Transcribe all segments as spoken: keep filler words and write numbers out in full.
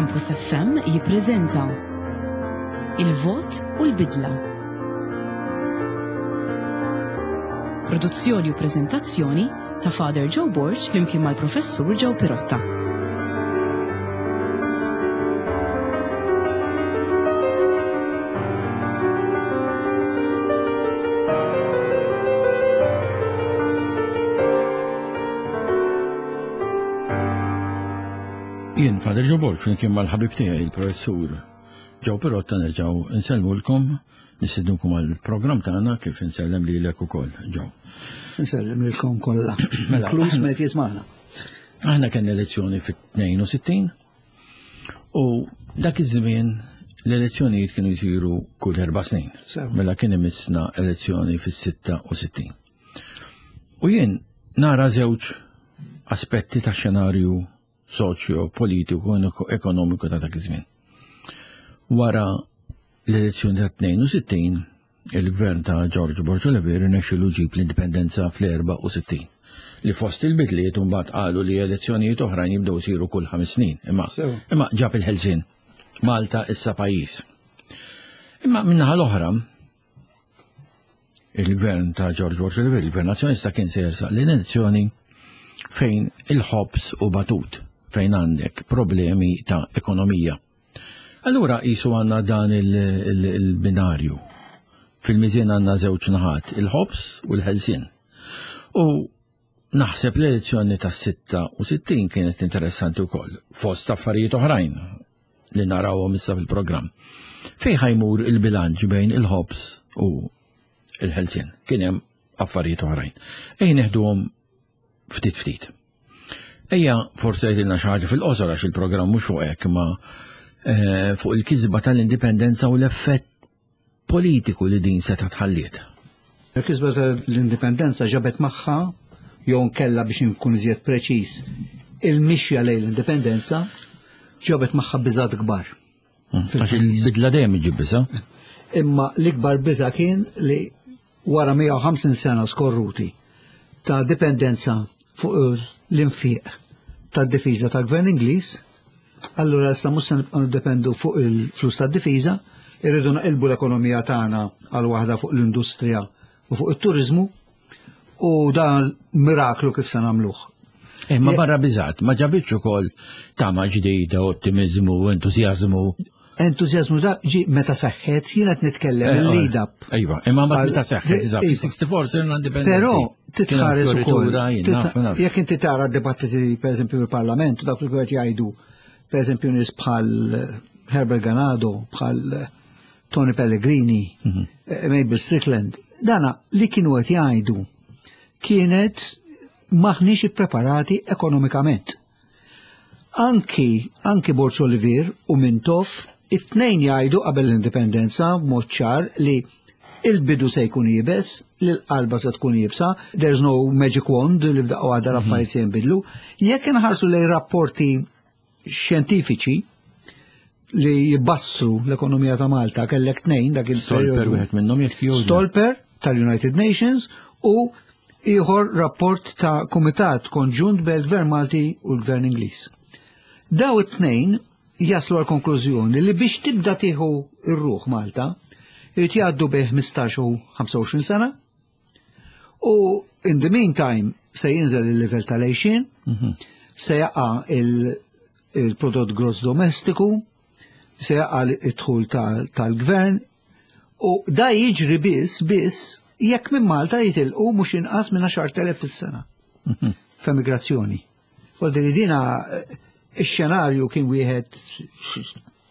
Campus F M jippreżenta Il-Vot u l-Bidla. Produzzjoni u preżentazzjoni ta' Father Joe Borg flimkien mal-Professur Joe Pirotta. Jien Father Joe Borg flimkien mal-ħabib tiegħi il-Professur Joe Pirotta nerġgħu nsellmulkom, nistednukom għall-programm tagħna kif insellem lilek ukoll, Joe. Insellem lilkom kollha. Mela, Inkluż aħna meta jismagħna. Aħna kellna elezzjoni fit-tnejn u sittin u dak iż-żmien l-elezzjonijiet kienu jsiru kull erba' snin. Sew. Mela kien imissna elezzjoni fis-sitta u sittin. U jien nara żewġ aspetti ta' xenarju soċjo, politiku, ekonomiku ta' dak iż-żmien. Wara l-elezzjoni ta' tnejn u sittin, il-gvern ta' George Borg Olivier rnexxielu ġib l-indipendenza fl-erba' u sittin. Li fost il-bidliet mbagħad qalu li elezzjonijiet oħrajn jibdew isiru kull ħames snin. Imma, Sew. imma ġab il-ħelsien. Malta issa pajjiż. Imma min-naħa l-oħra, il-gvern ta' George Borg Olivier, il-gvern nazzjonalista kien se jersaq l-elezzjoni fejn il-ħobż u batut, fejn għandek problemi ta' ekonomija. Allura jisu għandna dan il-, il-, il-binarju. Fil-miżien għandna żewġ naħat, il-ħobż u l-ħelsien. U naħseb l-elezzjoni tas sitta u sittin kienet interessanti wkoll, fost affarijiet oħrajn li narawhom issa fil-programm. Fejn ħajmur il-bilanċ bejn il-ħobż u l-ħelsien? Kien hemm affarijiet oħrajn. Ejja neħduhom ftit ftit. Ejja forsi jgħidilna xi ħaġa fil-qosor għax il-programm mhux fuq hekk, imma, eh, fuq il-kisba tal-indipendenza u l-effett politiku li din seta' tħalliet. Il-kisba tal-indipendenza ġabet magħha, jew nkella biex inkun iżjed preċiż, il-mixja lejn l-indipendenza ġabet magħha biżgħat kbar. Mm. Għax il-bidla dejjem iġib biża'. Imma l-ikbar biża' kien li wara mija u ħamsin sena skorruti ta' dipendenza fuq l-infiq tad-difiża tal-Gvern Ingliż, allura issa mhux se nibqgħu niddependu fuq il-flus tad-difiża, irridu naqilbu l-ekonomija tagħna għal waħda fuq l-industrija u fuq it-turiżmu, u dan miraklu kif se nagħmluh. Imma Je- barra biżgħat, ma ġabitx ukoll tama ġdida, ottimizmu, entużjażmu. Entużjażmu da ġi meta seħħet, jien qed nitkellem Eh, il-lead up. Iva, imma mbagħad Għal- meta seħħet, eżatt, Iva. sixty-four sirna indipendenti. Però Kien titħares ukoll. fioritura, jien titħ- naf, naf. Jekk inti tara d-dibattiti pereżempju fil-Parlament, dak li qed jgħidu pereżempju nies bħal Herbert Ganado, bħal Tony Pellegrini, Mhm. eh, Mabel Strickland, dana li kienu qed jgħidu kienet maħniex ippreparati ekonomikament. Anki, anki Borg Olivier u Mintoff, it-tnejn jgħidu qabel l-indipendenza b'mod ċar li il-bidu se jkun iebes, li l-qalba se tkun iebsa, there's no magic wand li f'daqqa waħda l-affarijiet se jinbidlu. Jekk inħarsu lejn rapporti xjentifiċi li jibbassru l-ekonomija ta' Malta, kellek tnejn dak il-perjodu. Stolper wieħed minnhom jekk jew le. Stolper tal-United Nations u ieħor rapport ta' Kumitat Konġunt bejn il-Gvern Malti u l-Gvern Ingliż. Daw it-tnejn jaslu għal konklużjoni li biex tibda tieħu r-ruħ Malta, irid jgħaddu bejn ħmistax u ħamsa u għoxrin sena, u in the meantime se jinżel il-livell tal-għejxien, Mhm. se jaqa' il-, il-prodott gross domestiku, se jaqa' id-dħul tal-, tal-gvern, u da jiġri biss, biss jekk minn Malta jitilqu mhux inqas minn għaxar telef fis-sena Mhm. f'emigrazzjoni. Vuol dina, eh, ix-xenarju kien wieħed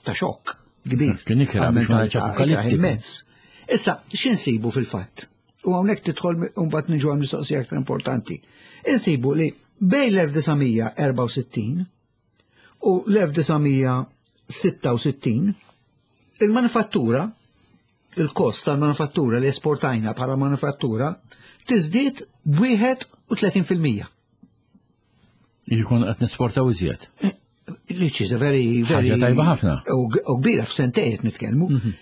ta' xokk kbir. Kien ikrah biex ma ngħidx Għal-mentalità, apokaliptiku. ikrah immens. Issa, x'insibu fil-fatt? U hawnhekk tidħol u mbagħad niġu għal mistoqsija aktar importanti. Insibu li bejn l-elf disa' mija erba' u sittin u l-elf disa' mija sitta u sittin il-manifattura, il-kost tal-manifattura li esportajna bħala manifattura tiżdied b'wieħed u tletin fil-mija. Jkun qed nesportaw iżjed. Eh, which is a very, very Ħaġa tajba ħafna. U g-, u kbira f'sentejn qed nitkellmu. Mhm.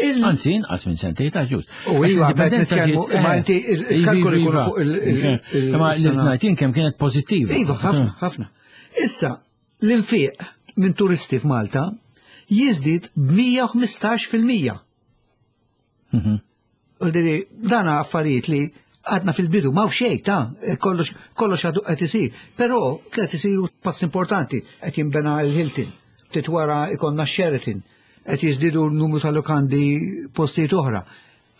Il- Anzi, inqas minn sentejn ta' ġust. U Għax iva, qed l-indipendenza nitkellmu, ġiet, imma eh, inti il-, iva, il-kalkoli iva, jkunu fuq il-, il-, Mhux il-, Imma il-sena. l-ngħid jien kemm kienet pożittiva. Iva, ħafna, ħafna. Issa, l-infiq minn turisti f'Malta jiżdied b'mija u ħmistax fil-mija. Mhm. U diri, dana affarijiet li għadna fil-bidu, ma' xejn ta' kollox kollox għadu qed isir. Però qed isiru pass importanti, qed jinbena il-Hilton, ftit wara ikollna Sheraton, qed jiżdiedu n-numru ta' lukandi postijiet oħra.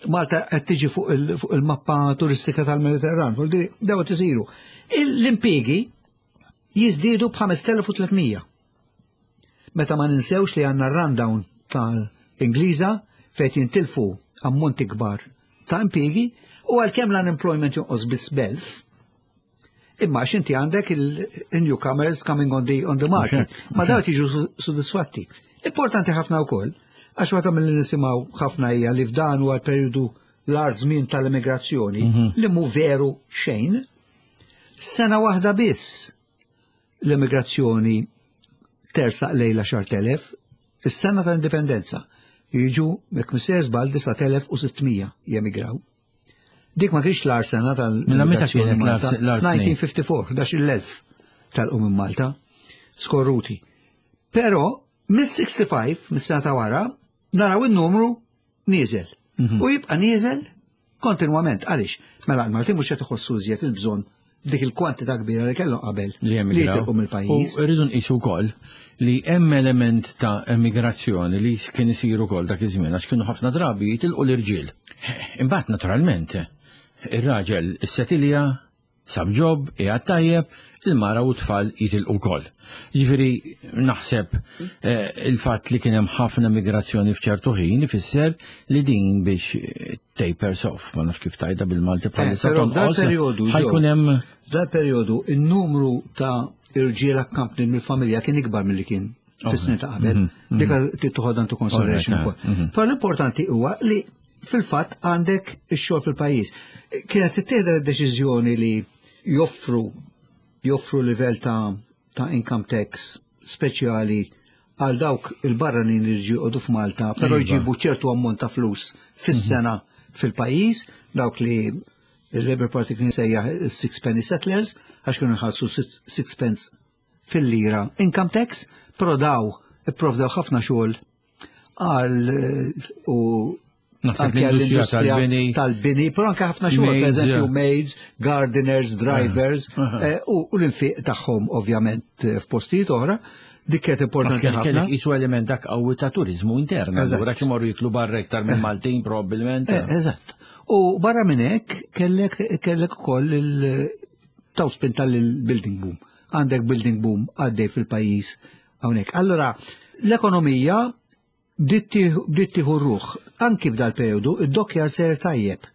Malta qed tiġi fuq il- fuq il-mappa turistika tal-Mediterran, fuq diri, daw qed isiru. L-impjiegi jiżdiedu b'ħamest elef u tliet mija. Meta ma ninsewx li għandna rundown tal-Ingliża fejn jintilfu ammonti kbar ta' impjiegi u għalkemm l-unemployment jonqos biss b'elf, imma għax inti għandek il-newcomers coming on the, on the market, ma daw jiġu su- sodisfatti. Importanti ħafna wkoll, għax waħda mill-li nisimgħu ħafna hija li f'dan huwa l-periodu l-agħar żmien tal-immigrazzjoni, li mhu veru xejn, sena waħda biss l-immigrazzjoni tersaq lejn l-għaxart elef, is-sena ta' indipendenza, jiġu mek misser żball disa' elef u sitt mija jemigraw. Dik ma kienx l-agħar sena Mela meta tal-immigrazzjoni kienet Malta. l-agħar snin? elf disa' mija u ħamsa u erbgħin, ħdax-il elf telqu minn Malta, skorruti. Però, mis-ħamsa u sittin, mis-sena ta' wara, naraw il-numru nieżel. Mhm. U jibqa' nieżel kontinwament. Għaliex? Mela l-Maltin mhux qed iħossu iżjed il-bżonn dik il-kwantità kbira li kellhom qabel li li emigraw. jitilqu mill-pajjiż. U rridu nqisu wkoll li hemm element ta' emigrazzjoni li kien isir ukoll dak iż-żmien, għax kienu ħafna drabi jitilqu l-irġiel. Imbagħad naturalment ir-raġel issetilja, sab job, qiegħed tajjeb, il-mara u tfal jitilqu wkoll. Ġifieri naħseb eh, il-fatt li kien hemm ħafna migrazzjoni f'ċertu ħin ifisser li din biex eh, tapers off, ma nafx kif tgħidha bil-Malti bħalissa, Eh, però f'dal tonqos, periodu, ħa jkun hemm F'dal periodu il-numru ta' irġiel accompanied mill-familja kien ikbar milli kien fis-snin ta' qabel. Dik trid toħodha into consideration Alright, ukoll. mhm. Però l-importanti huwa li fil-fatt għandek ix-xogħol fil-pajjiż. Kienet tittieħed deċiżjoni li joffru joffru livell ta' ta' income tax speċjali għal dawk il-barranin li ġieqodu f'Malta, però Iva. jġibu ċertu ammont ta' flus fis-sena fil-pajjiż, dawk li il-Labour Party kien sejjaħ six penny settlers, għax kienu jħallsu six- sixpence fil-lira income tax, però daw ipprovdew ħafna xogħol għal eh, u Naħseb anke l-industrija għall-industrija tal-bini. tal-bini, però anke ħafna xogħol, per Maids, eżempju yeah. maids, gardeners, drivers, Aha. eh, u u l-infiq tagħhom ovvjament eh, f'postijiet oħra, dik kienet importanti Kellek ħafna. isu element dak qawwi ta' turizmu intern. Eżatt. Allura imorru jiklu barra iktar minn Maltin probabbilment. Eh, Eżatt. U barra minn hekk kellek kellek ukoll il taw spinta l-building boom. Għandek building boom għaddej fil-pajjiż hawnhekk. Allora, l-ekonomija bdiet tieħu ruħ. Anki f'dal periodu id-dockyard ser tajjeb.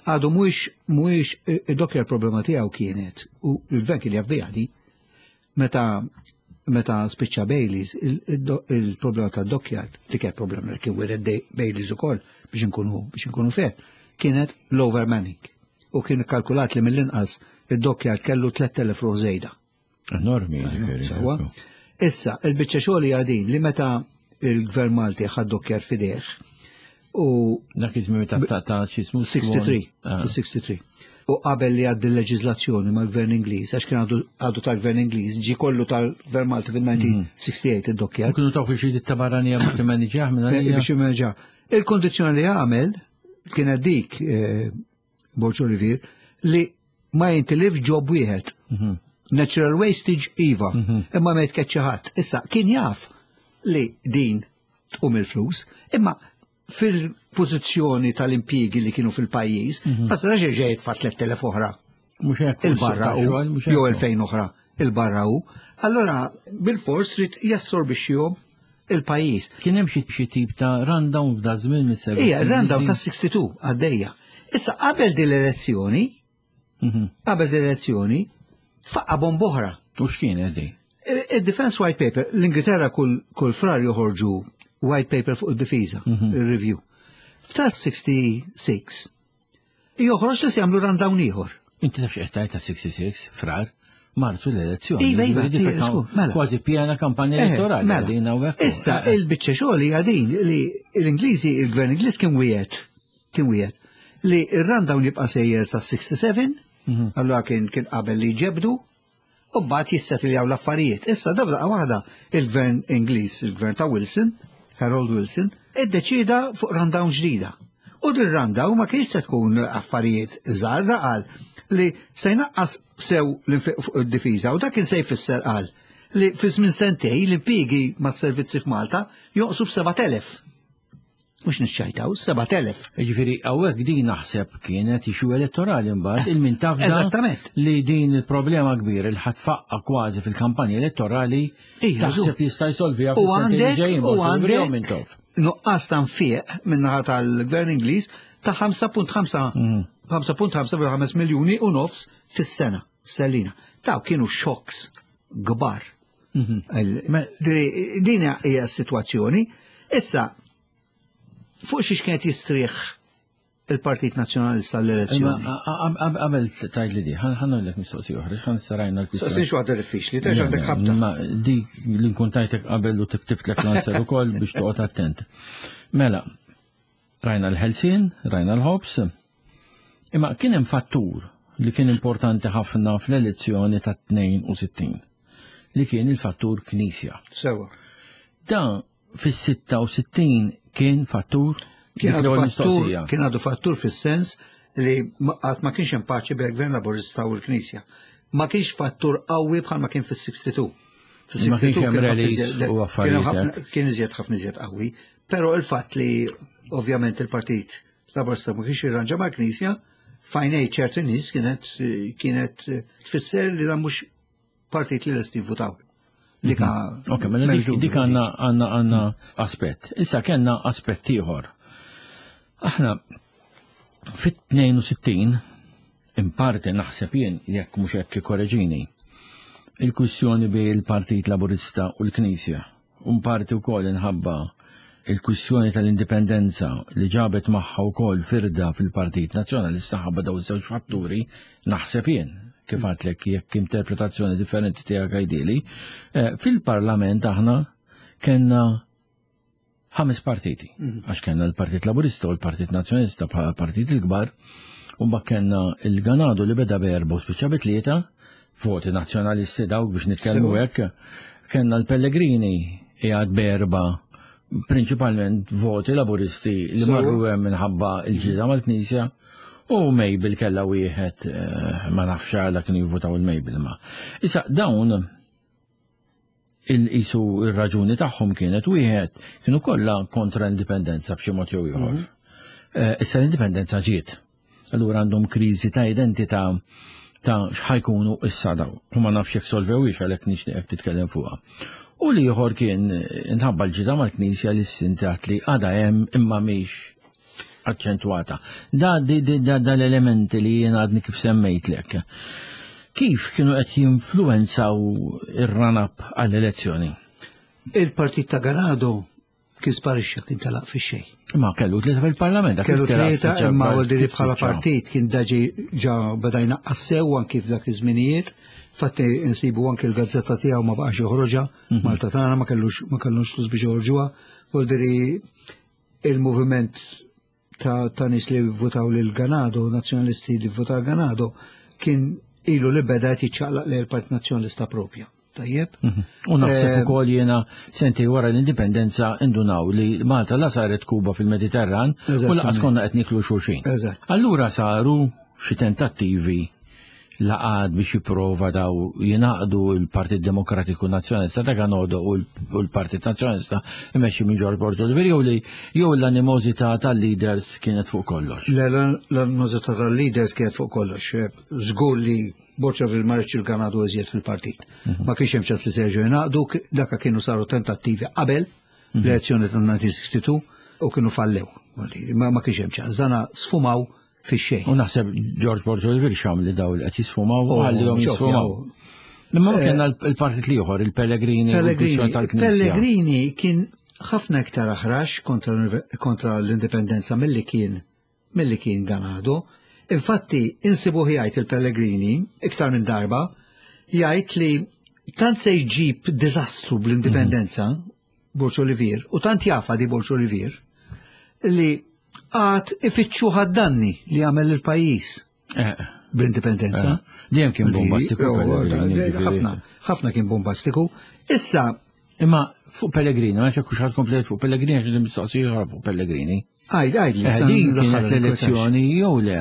Għadu mhuwiex mhuwiex id-dockyard problema tiegħu kienet u l-gvern kien jaf biha di meta meta spiċċa Baileys, il-problema ta' dockyard, li kien problema li kien wiret Baileys ukoll, biex nkunu biex nkunu fair, kienet l-overmanning. U kien kalkulat li mill-inqas id-dockyard kellu tlett elef ruħ żejda. Enormi, ġifieri. Sewwa. Issa, il-biċċa xogħol hija din li meta il-Gvern Malti ħad dockyard f'idejh u Dak iż-żmien ta' ta' ta' x'ismu sitta u sittin, Ah. sitta u sittin. U qabel li għaddi l-leġizlazzjoni mal-Gvern Ingliż, għax kien għadu għadu tal-Gvern Ingliż, ġi kollu tal-Gvern Malti fil-elf disa' mija u sitta u sittin id-dockyard. Kienu taw xi ditta barranija biex timmaniġjah minn Eh, għalija. biex jimmanġa. Il-kondizjoni li għamel kienet dik, eh, Borg Olivier, li ma jintilif job wieħed. Natural wastage iva, imma ma jitkeċċa ħadd. Issa kien jaf li din tqum il-flus, imma fil-pożizzjoni tal-impjiegi li kienu fil-pajjiż, ma setax ġej jitfa' tlett elef oħra Mhux hekk. il-barra u xogħol, mhux jew hekk. elfejn oħra il-barra u. Allora bil-fors trid jassorbixxihom il-pajjiż. Kien hemm xi xi tip ta' rundown f'da żmien mis-servizz. Ija, rundown ta' sitta u sittin għaddejja. Issa qabel din l-elezzjoni, Mhm. qabel din l-elezzjoni, faqqa bomba oħra. U x'kien di? Il-Defense White Paper, l-Ingilterra kull, kull frar joħorġu White Paper fuq id-difiża, il-review. F'tat sitta u sittin, joħroġ li se jagħmlu rundown ieħor. Inti taf x'qed tgħid ta' sitta u sittin, frar, Marzu l-elezzjoni. Iva, iva, Ġifieri iva, dik skur, mela. Kważi pjena kampanja Eh, elettorali. mela. Din hawnhekk. Issa, Eh, il-biċċa xogħol hija din li l-Ingliżi, il-Gvern Ingliż kien wiegħed, kien wiegħed li ir-rundown jibqa' sejjer sa sitta u sebgħin, Mhm. allura kien kien qabel li ġebdu, U mbagħad jissettiljaw l-affarijiet. Issa daqqa waħda il-gvern Ingliż, il-gvern ta' Wilson, Harold Wilson, iddeċida fuq rundown ġdida. U din rundown ma kienx se tkun affarijiet żgħar, da qal li se jnaqqas sew l-infiq fuq id-difiża u dak kien se jfisser, qal, li fi żmien sentej l-impjiegi mas-servizzi f'Malta jonqsu b'sebat elef. Mhux niċċajtaw, sebat elef. Ġifieri, hawnhekk din naħseb kienet issue elettorali mbagħad il-min tafda Eżattament. li din il-problema kbir il ħadd faqqa kważi fil-kampanja elettorali Ija, taħseb jista' jsolviha U fis-sentejn għandek, ġejjin u minn għandek tof. nuqqas ta' nfiq min-naħa tal-gvern Ingliż ta' ħamsa punt ħamsa ħamsa punt ħamsa miljuni u nofs fis-sena, sterlina. Daw kienu shocks kbar. Il- Me- di- Din hija s-sitwazzjoni. Issa, fuq xiex kienet jistrieħ il-Partit Nazzjonalista l-elezzjoni? Qabel tajt li di, ħa nagħmillek mistoqsija oħra, ħan sarajna l-kwistjoni. Saqsin xi waħda diffiċli, tex għandek ħabta. Ma dik li nkun tajtek qabel u tiktibtlek l-answer ukoll biex toqgħod attent. Mela, rajna l-ħelsien, rajna l-ħobs, imma kien hemm fattur li kien importanti ħafna fl-elezzjoni ta' tnejn u sittin, li kien il-fattur Knisja. Sewa. Da fis-sitta u sittin kien fattur. Kien Dik għadu l-ewwel fattur, mistoqsija. Kien għadu fattur fis-sens li ma- għad ma kienx hemm paċi bejn gvern Laburista u l-Knisja. Ma kienx fattur qawwi bħal ma kien fis-sitta u sittin. Ma kienx hemm Fis-sitta u tnejn kien ħafna rallies iżjed- u kien affarijiet ħafna- hekk. Kien iżjed, ħafna iżjed qawwi, però il-fatt li ovvjament il-Partit Laburista ma kienx jirranġa mal-Knisja, f'għajnejn ċerti nies kienet kienet tfisser li dan mhux partit li lesti jivvutaw. Li ka Ok, mela dik, m'hemmx dik dubju. għanna għanna għanna aspett. Issa kellna aspett ieħor. Aħna fit-tnejn u sittin, in parti naħseb jien, jekk mhux hekk korreġini, il-kwistjoni bejn il-Partit Laburista u l-Knisja, u parti wkoll inħabba il-kwistjoni tal-indipendenza li ġabet magħha wkoll firda fil-Partit Nazzjonalista, ħabba daw iż-żewġ fatturi naħseb jien, kif għedtlek, jekk interpretazzjoni differenti tiegħek għidili, eh, fil-Parlament aħna kellna ħames partiti, għax kellna l-Partit Laburista u l-Partit Nazzjonalista bħala partit il-kbar, u mbagħad kellna il-Ganado li beda b'erba u spiċċa bi tlieta, voti nazzjonalisti dawk biex nitkellmu hekk, kellna l-Pellegrini qiegħed b'erba, prinċipalment voti laburisti li Sewa. marru hemm minħabba il-ġida mal-Knisja, u Mabel kella wieħed, eh, ma nafx għala kienu jivvotaw il-Mabel ma. Issa dawn il-isu il-raġuni tagħhom kienet wieħed, kienu kollha kontra l-indipendenza b'xi mod jew ieħor. Eh, Issa l-indipendenza ġiet. Allura għandhom kriżi ta' identità ta' x'ħa jkunu issa daw. U ma nafx jekk solvewhiex, għalhekk nixtieqek titkellem fuqha. U li ieħor kien inħabba l-ġida mal-Knisja li s-sintat li għada hemm imma mhix aċċentwata. Da, di, di, da, da l-elementi li jien għadni kif semmejtlek. Kif kienu qed jinfluenzaw ir-run-up għall-elezzjoni? Il-partit ta' Ganado kien sparixxa, kien telaq fi xejn. Ma kellu tlieta fil-parlament. Dak Kellu it-telaq tlieta, spiċċa imma bar- għoldiri kif bħala spiċċa? partit kien daġi ġa beda jnaqqas sew anki f'dak iż-żminijiet. Fatti insibu anki l-gazzetta tiegħu ma baqax joħroġha, Mhm. Malta Tagħna, ma kellux ma kellux flus biex joħorġuha. Voldiri il-moviment ta', ta' nies li votaw lil Ganado, nazzjonalisti li votaw Ganado, kien ilu li beda qed jiċċaqlaq lejn il-Partit Nazzjonalista propja. Tajjeb? Mhm. U naħseb Eh, ukoll jiena sentej wara l-indipendenza indunaw li Malta la saret Kuba fil-Mediterran u laqas Eżattament. konna qed niklu xulxin. Eżatt. Allura saru xi tentattivi laqad biex jipprova daw jingħaqdu l-Partit Demokratiku Nazzjonalista ta' Ganado u l- u l-Partit Nazzjonalista imexxi minn George Borg Olivier, jew li jew l-animożità tal-leaders kienet fuq kollox? Le, l-animożità tal-leaders kienet fuq kollox. Żgur li Borg ma riedx il-Ganado iżjed fil-partit. Ma kienx hemm ċans li se jerġgħu jingħaqdu, daka kienu saru tentattivi qabel l-elezzjoni tal-elf disa' mija u sitta u sittin u kienu fallew. Ma, ma kienx hemm ċans. Dana sfumaw fix-xejn. U naħseb George Borg Olivier xam li daw li qed jisfumaw u Oh, ħallihom xofjaw. jisfumaw. Imma ma kellna l-partit l-ieħor, il-Pellegrini, u l-kwistjoni Pellegrini, tal-Knisja. Pellegrini kien ħafna iktar aħrax kontra, kontra l-indipendenza milli kien milli kien Ganado. Infatti, insibu jgħid il-Pellegrini iktar minn darba, jgħid li tant se jġib diżastru bl-indipendenza Borg Olivier, u tant jafa di Borg Olivier, li għad ifittxu ħad-danni li għamel il-pajjiż. Eh, Bl-indipendenza. Eh, dejjem kien bombastiku Pellegrini. Ħafna, ħafna kien bombastiku. Issa. Imma fuq Pellegrini, ma ċekku xħad komplet fuq Pellegrini, għax mistoqsija fuq Pellegrini. Għajd, għajd li. Eh, din kienet l-elezzjoni jew le.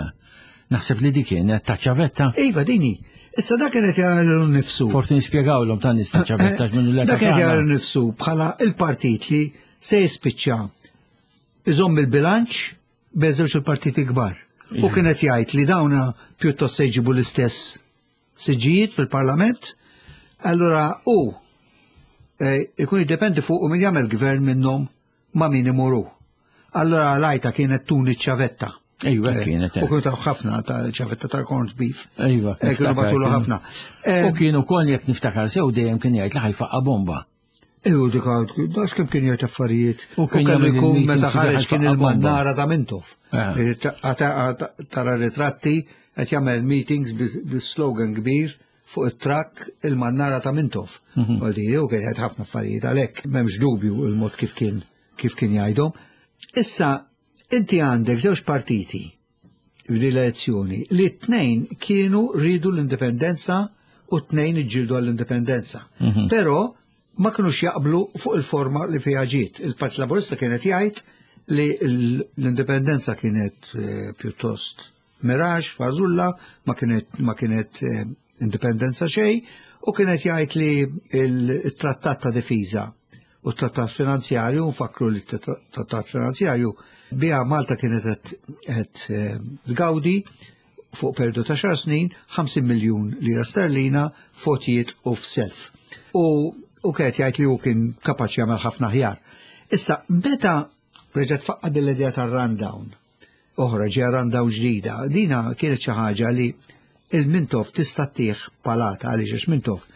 Naħseb li dik kienet ta' ċavetta. Iva, dini. Issa dak kienet jara nifsu. Forsi nispjegawlhom ta' nies ta' ċavetta minnu l Dak kienet jara nifsu bħala il-partit li se jispiċċa iżomm il-bilanċ bejn żewġ il-partiti kbar. U kienet jgħid li dawna pjuttost se jġibu l-istess siġġijiet fil-parlament, allura u eh, ikun jiddependi fuq u min jagħmel gvern minnhom ma' min imuru. Allura l-għajta kienet tuni ċavetta. Ejwa, eh, kienet. U kienu taw ħafna ta' ċavetta tal-corned beef. Ejwa. Eh, kienu batulu ħafna. U kienu kol jekk niftakar sew dejjem kien jgħid li ħajfaqqa bomba. Ew, dik dax kemm kien jgħid affarijiet. U kellu jkun meta ħareġ kien il-mannara ta' Mintoff. Eh. Tara ritratti qed jagħmel meetings bis-slogan kbir fuq it-trakk il-mannara ta' Mintoff. Mhm. Għaldi, u kien jgħid ħafna affarijiet għalhekk m'hemmx dubju il-mod kif kien kif kien jgħidhom. Issa inti għandek żewġ partiti f'din l-elezzjoni li t-tnejn kienu rridu l-indipendenza u t-tnejn iġġieldu għall-indipendenza. Mhm. Però ma kinux jaqblu fuq il-forma li fiha ġiet. Il-Partit Laburista kienet jgħid li l-indipendenza kienet eh, pjuttost miraġ, fażulla, ma kienet, ma kienet eh, indipendenza xejn, u kienet jgħid li il-trattat ta' difiża u t-trattat finanzjarju, nfakru li t-trattat finanzjarju biha Malta kienet qed eh, tgawdi fuq periodu ta' xar snin ħamsin miljun lira sterlina fotijiet u f'self. U u kienet jgħid li hu kien kapaċi jagħmel ħafna ħjar. Issa, meta reġgħet tfaqqa din l-idea tar-rundown, oħra ġeja rundown ġdida, dina kienet xi ħaġa li il-Mintoff tista' ttih palata għaliex għax Mintoff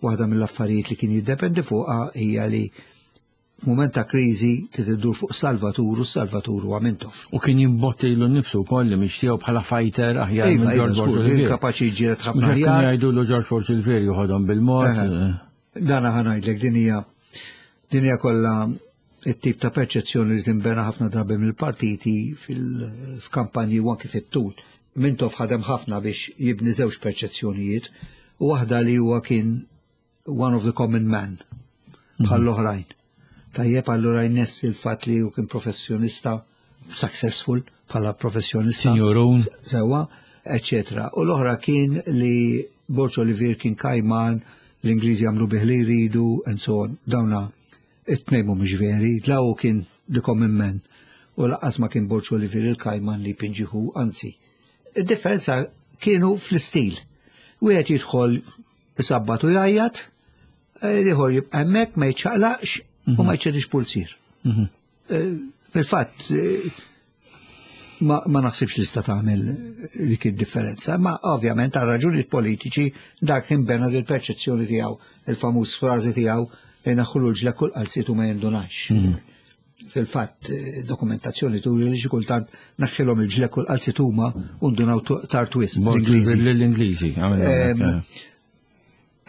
waħda mill-affarijiet li kien jiddependi fuqha hija li f'mument ta' kriżi trid iddur fuq Salvatur u Salvatur huwa Mintoff. U kien jimbotti lilu nnifsu wkoll li mhix tiegħu bħala fighter aħjar minn Iva, George iva, żgur, Borg kien Olivier. kapaċi jiġġieled ħafna Mhux hekk aħjar. kienu jgħidulu George Borg Olivier joħodhom bil-mod. Dana ħa ngħidlek din hija din hija kollha it-tip ta' perċezzjoni li tinbena ħafna drabi mill-partiti fil-kampanji u anki fit-tul. Mintoff ħadem ħafna biex jibni żewġ perċezzjonijiet, u waħda li huwa kien one of the common man bħall-oħrajn. Tajjeb, allura jnessi il-fatt li hu kien professjonista successful bħala professjonista. Sinjurun. Sewa, eccetera. U l-oħra kien li Borg Olivier kien kajman, l-Ingliżi għamlu bih li jridu, and so on. Dawna it-tnejn mhumiex veri, la hu kien the common man. U lanqas ma kien Borg Olivier il-kajman li pinġiħu, anzi. Id-differenza kienu fl-istil. Wieħed jidħol isabbat u jgħajjat, ieħor jibqa' hemmhekk ma jiċċaqlaqx u ma jċedix pulsir. Mhm. Eh, Fil-fatt, eh, ma, ma naħsibx li sta tagħmel dik id-differenza, ma ovvjament għal raġunijiet politiċi dak kien bena dil perċezzjoni tiegħu, il-famuż frażi tiegħu naħħulu l-ġla kull qalzitu ma jindunax. Fil-fatt, eh, dokumentazzjoni turi li xi kultant naħħilhom il-ġla kull qalzitu huma u ndunaw tard wisq Borg l-Ingliżi. L-Ingliżi. għamilna Em, hekk.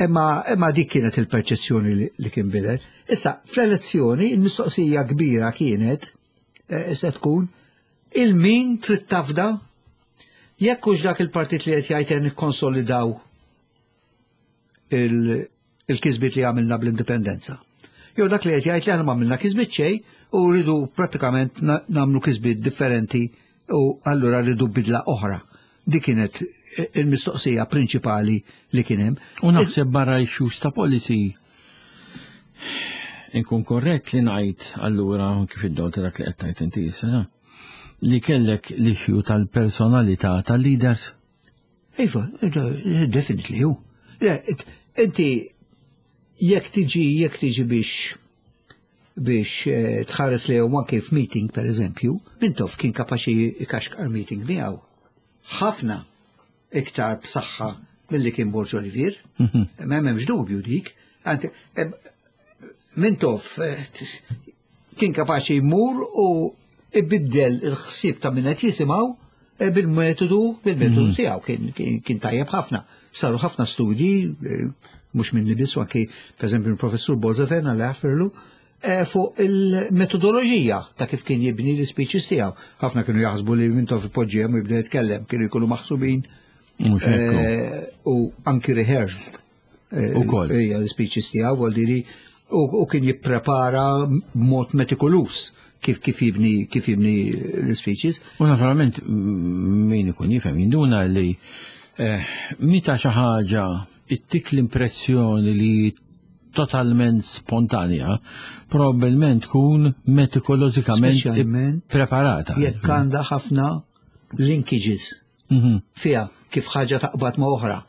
Imma imma dik kienet il-perċezzjoni li, li kien bidel. Issa, fl-elezzjoni, il-mistoqsija kbira kienet, eh, se tkun, il-min trid tafda jekk hux dak il-partit li qed jgħid nikkonsolidaw il- il-kisbiet li għamilna bl-indipendenza. Jew dak li qed jgħid li aħna m'għamilna kisbiet xejn u rridu prattikament na- nagħmlu kisbiet differenti u allura rridu bidla oħra. Dik kienet il-mistoqsija prinċipali li kien hemm. U naħseb barra issues ta' policy inkun korrett li ngħid allura kif id-dol ta' dak li qed tgħid inti issa, li kellek l-issue tal-personalità tal-leaders. Iva, definitely hu. Le, it- Inti jekk tiġi jekk tiġi biex biex eh, tħares li anke f'meeting per eżempju, Mintoff kien kapaċi ikaxkar meeting miegħu. Ħafna iktar b'saħħa milli kien Borg Olivier. Ma hemmx dubju dik. Anti, eh, Mintoff eh, kien kapaċi jmur u ibiddel il-ħsieb ta' min qed jisimgħu eh, bil-metodu bil-metodu tiegħu kien, kien, kien tajjeb ħafna. Saru ħafna studji, eh, mhux minni biss, u anki pereżempju il-professur Bozofen għal jaffirlu, eh, fuq il-metodoloġija ta' kif kien jibni l-speeches tiegħu. Ħafna kienu jaħsbu li Mintoff ipoġġihem u jibda jitkellem, kienu jkunu maħsubin Mhux hekk. Eh, u anki rehearsed. Eh, Ukoll. Ija, l-speeches tiegħu, vuol dire, u u kien jipprepara b'mod metikoluż kif kif jibni kif jibni l-speeches. U naturalment m- min ikun jifhem jinduna li eh, meta xi ħaġa ittik l-impressjoni li totalment spontanja, probabbilment tkun metikologikament Speċjalment preparata. Jekk għandha ħafna linkages Mhm. fiha kif ħaġa taqbad ma' oħra.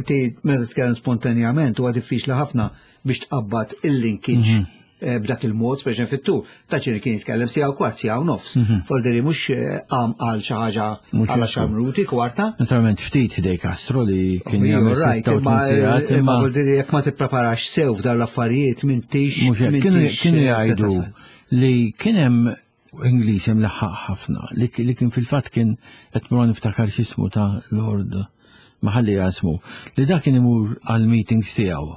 Ti meta tkellem spontanjament huwa diffiċli ħafna biex tqabbad il-linkage eh, b'dak il-mod, speċi fit-tul. Ta' ċini kien jitkellem siegħa u kwart, siegħa u nofs. Voldiri mhux eh, qam għal xi ħaġa Mhux għal hekk. għaxar minuti, kwarta. Naturalment ftit ħdejn Castro li kien You're jagħmel right, sitta u imma tmien sigħat, imma imma voldiri jekk ma tippreparax sew f'dawn l-affarijiet m'intix mhux hekk. Kienu m'intix, kienu eh, se jgħidu tasal. li kien hemm Ingliż imlaħħaq ħafna li li kien fil-fatt kien qed mur niftakar x'ismu ta' Lord maħalli jasmu li dak kien imur għal meetings tiegħu.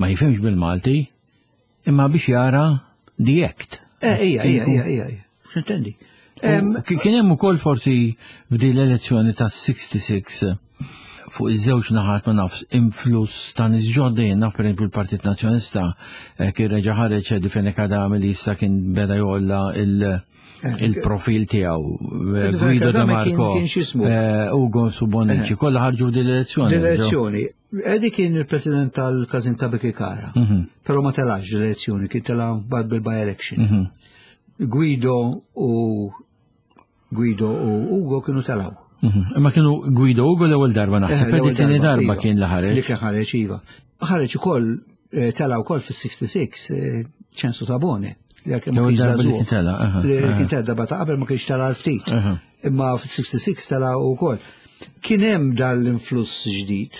Ma jifhimx bil-Malti imma biex jara the act. Eh, ija, ija, ija, ija, ija. X'intendi? Em, U Kien hemm ukoll forsi f'din l-elezzjoni ta' sitta u sittin fuq iż-żewġ naħat, ma nafx, influss ta' nies ġodda. Jien naf, pereżempju, l-Partit Nazzjonalista eh, kien reġa' ħareġ Eddie Fenech Adami li issa kien beda jolla il- il-profil tiegħu. Eh, Eddie Fenech Guido De Adami kien- Marco, kien x'ismu? eh, Ugo Bonnici, kollha ħarġu f'din l-elezzjoni. L-elezzjoni. Eddie kien il-president tal-Kazin ta' Birkirkara, Mhm. pero ma telax l-elezzjoni, kien tela bad bil-by-election. Mhm. Guido u Guido u Ugo kienu telaw. Mhm. Imma kienu Guido Ugo l-ewwel darba naħseb, Eh, l-ewwel Eddie tieni darba iva. kien li ħareġ. Li kien ħareġ, iva. Ħareġ ukoll, eh, tela wkoll fis-sitta u sittin eh, Ċensu Tabone. Li għalkemm ma L-ewwel kienx darba li żagħżugħ. kien tela, aha, Li aha. kien tela darba ta' qabel ma kienx tela ftit. Aha. Imma fis-sitta u sittin tela wkoll. Kien hemm dan l-influss ġdid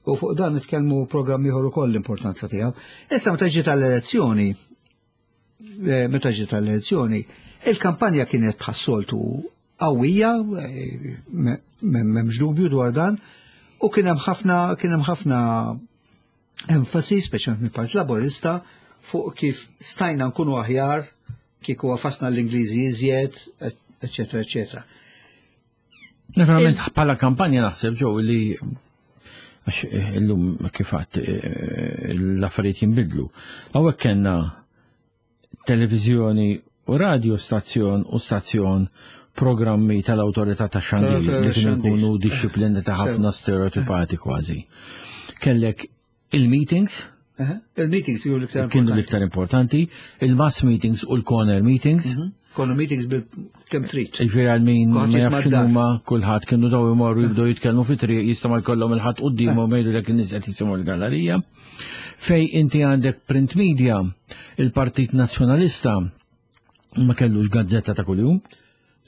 u fuq dan nitkellmu programm ieħor ukoll l-importanza tiegħu. Issa meta ġiet tal-elezzjoni, eh, meta ġiet tal-elezzjoni, il-kampanja kienet bħas-soltu qawwija, eh, me- me- m'hemmx dubju dwar dan, u kien hemm ħafna kien hemm ħafna enfasi, speċjalment mill-Partit Laburista, fuq kif stajna nkunu aħjar kieku għafasna l-Ingliżi iżjed, eccetera, eccetera. Naturalment bħala kampanja naħseb ġew li għax eh, illum kif għadt eh, l-affarijiet jinbidlu. Hawnhekk kellna televiżjoni u radio stazzjon u stazzjon programmi tal-awtorità ta' xandir li kienu Xandir. jkunu disċiplini ta' ħafna stereotipati kważi. Kellek il-meetings, Aha. Il-meetings kienu l-iktar kienu importanti. l-iktar importanti, il-mass meetings u l-corner meetings. Konu meetings bil kemm trid. Ġifieri għal min Kulħadd ma jisma' jafx d-dar. huma kulħadd kienu daw imorru jibdew jitkellmu fi triq jista' ma jkollhom il-ħadd quddiemhom jgħidu lek in-nies qed jisimgħu l-gallerija. Fej inti għandek print media, il-Partit Nazzjonalista ma kellux gazzetta ta' kuljum.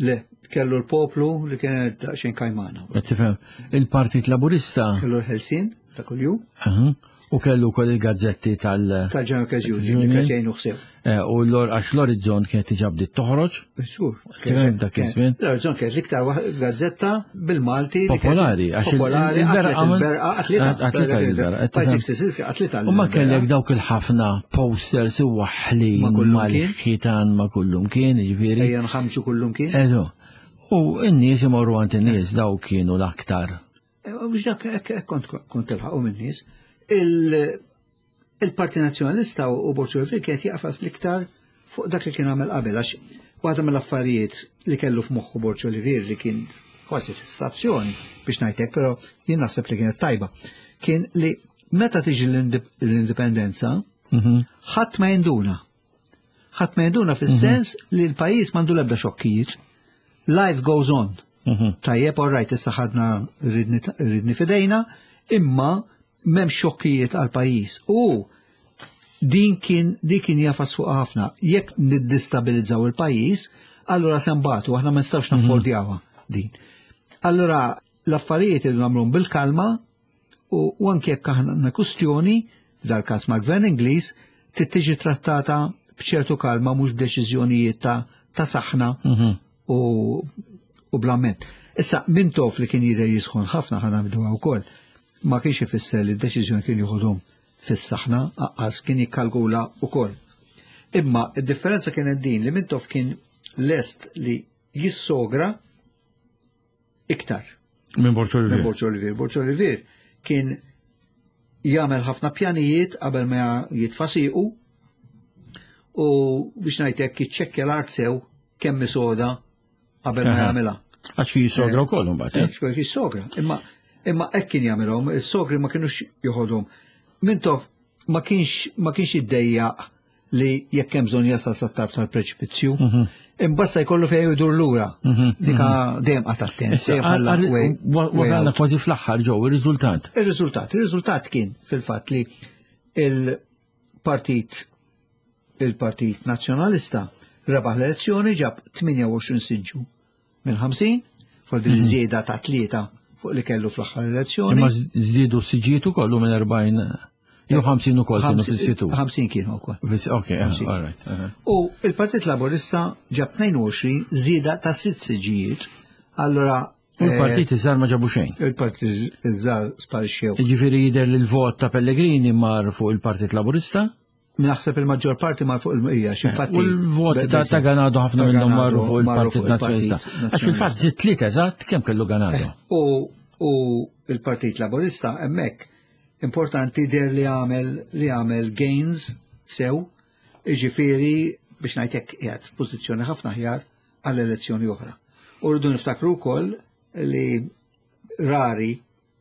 Le, kellu l-Poplu li kienet daqsxejn kajmana. Qed tifhem, il-Partit Laburista Kellu l-Ħelsien ta' kuljum aha, u kellu wkoll il-gazzetti tal- tal-General Workers Union li Union. kienet jgħinu ħsew. eh, u l għax l-Orizzont kienet diġà bdiet toħroġ. Żgur. Kien dak iż-żmien. L-Orizzont kienet l-iktar waħ- gazzetta bil-Malti li kienet Popolari, għax il- Popolari, il-Berqa qatlet għamel- il-Berqa, qatlitha. Qatlitha il-Berqa, qed By tifhem. sixty-six qatlitha U ma l-Berqa. kellek dawk il-ħafna posters iwaħħlin Ma kullum kien. mal-ħitan ma kullum kien, ġifieri. Ejja nħamġu kullum kien. Eżo. U n-nies imorru għand in-nies, daw kienu l-aktar. Eh, Mhux dak hekk hekk kont kont tilħaqu min-nies. Il- Il-Parti Nazzjonalista u Borg Olivier kienet jaqfas l-iktar fuq dak li kien għamel qabel, għax waħda mill-affarijiet li kellu f'moħħu Borg Olivier li kien kważi fissazzjoni biex ngħidlek, però jien naħseb li kienet tajba, kien li meta tiġi l-indip- l-indipendenza, Mhm. ħadd ma jinduna. Ħadd ma jinduna fis-sens li l-pajjiż m'għandu l-ebda xokkijiet. Life goes on. Mhm. Tajjeb, all right, issa ħadna riedni f'idejna, imma m'hemm xokkijiet għal pajjiż. U din kien din kien jafas fuq ħafna. Jekk niddistabilizzaw il-pajjiż, allura se nbatu, aħna ma nistgħux naffordjawha din. Allura l-affarijiet li nagħmluhom bil-kalma u, u anke jekk aħna għandna kustjoni, f'dal każ mal-Gvern Ingliż, trid tiġi trattata b'ċertu kalma, mhux b'deċiżjonijiet ta' ta' saħna Mhm. u, u bl-amment. Issa, Mintoff li kien jidher jisħon ħafna, ħa ngħiduha wkoll, ma kienx ifisser li d-deċiżjoni kien joħodhom fis-saħna, aqqas kien jikkalkula wkoll. Imma id-differenza kienet din li Mintoff kien lest li jissogra iktar. Minn Borg Minn Borg Olivier. Borg Olivier kien jagħmel ħafna pjanijiet qabel ma jitfa' siequ u biex ngħidlek jiċċekkja l-art sew kemm soda qabel ma jagħmilha. Għax kien jisogra wkoll imbagħad. Eh, kien jisogra. Imma imma hekk kien jagħmilhom, is-sogri ma kinux joħodhom. Mintoff ma kienx ma kienx iddejjaq li jekk hemm bżonn jasal sat-tarf tal-preċipizzju. Mhm. Imbassa jkollu fejn jdur lura. Mhm. Dika mhm. dejjem qagħad attent. Wasalna kważi fl-aħħar ġew ir-riżultat. Ir-riżultat, ir-riżultat kien fil-fatt li il-Partit il-Partit Nazzjonalista rebaħ l-elezzjoni, ġab tmienja u għoxrin siġġu minn ħamsin, fuq din żieda ta' tlieta fuq li kellu fl-aħħar elezzjoni. Imma żdiedu siġġijiet ukoll minn erbgħin jew ħamsin ukoll kienu fis-situ. ħamsin kienu wkoll. Ok, all right. U il-Partit Laburista ġab tnejn u għoxrin, żieda ta' sitt siġġijiet. Allora U l-partit iż-żgħar ma ġabu xejn. Il-partit iż-żgħar sparixxew. Ġifieri jidher li l-vot ta' Pellegrini mar fuq il-Partit Laburista? Naħseb il-maġġor parti mar fuq il-ija, x'infatti. U l-vot ta' Ganado ħafna minnhom marru fuq il-Partit Nazzjonalista. Għax fil-fatt żied tlieta eżatt kemm kellu Ganado. U il-Partit Laburista hemmhekk importanti der li għamel li għamel gains sew, iġifieri biex ngħidlek qiegħed f'pożizzjoni ħafna aħjar għall elezzjoni oħra. U rridu niftakru wkoll li rari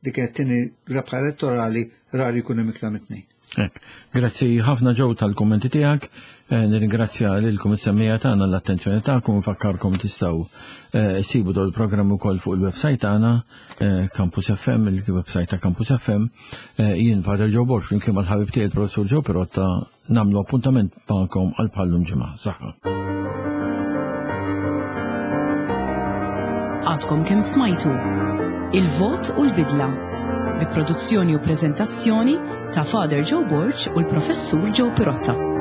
dik kienet tieni rebħa elettorali, rari jkunu iktar minn tnejn. Hekk. Grazzi ħafna, Joe, tal-kommenti tiegħek. Eh, nirringrazzja lilkom is-semmiegħa tagħna l-attenzjoni tagħkom, nfakkarkom tistgħu eh, sibu dol programm ukoll fuq il-website tagħna eh, Campus F M, il-website ta' Campus F M. Jien Father Joe Borg flimkien mal-ħabib tiegħi il-Professur Joe Pirotta nagħmlu appuntament magħkom għal bħallum ġimgħa. Saħħa. Għadkom kemm smajtu Il-Vot u l-Bidla bi produzzjoni u prezentazzjoni ta' Father Joe Borg u l-Professur Joe Pirotta.